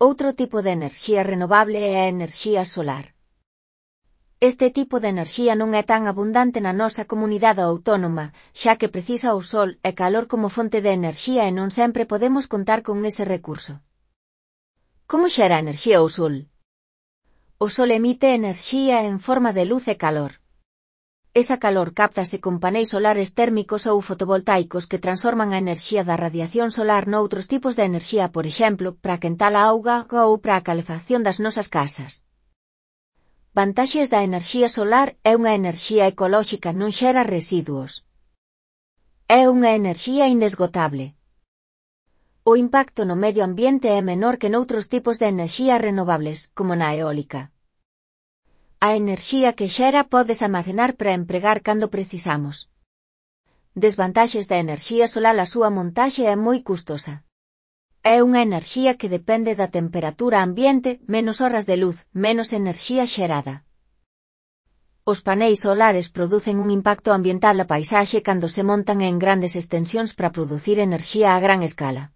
Outro tipo de enerxía renovable é a enerxía solar. Este tipo de enerxía non é tan abundante na nosa comunidade autónoma, xa que precisa o sol e calor como fonte de enerxía e non sempre podemos contar con ese recurso. Como xera a enerxía o sol? O sol emite enerxía en forma de luz e calor. Esa calor cáptase con paneis solares térmicos ou fotovoltaicos que transforman a enerxía da radiación solar noutros tipos de enerxía, por exemplo, para quentar a auga ou para a calefacción das nosas casas. Vantaxes da enerxía solar: é unha enerxía ecolóxica, non xera residuos. É unha enerxía inesgotable. O impacto no medio ambiente é menor que noutros tipos de enerxías renovables, como na eólica. A enerxía que xera pódese armacenar para empregar cando precisamos. Desvantaxes da enerxía solar: a súa montaxe é moi custosa. É unha enerxía que depende da temperatura ambiente, menos horas de luz, menos enerxía xerada. Os paneis solares producen un impacto ambiental na paisaxe cando se montan en grandes extensións para producir enerxía a gran escala.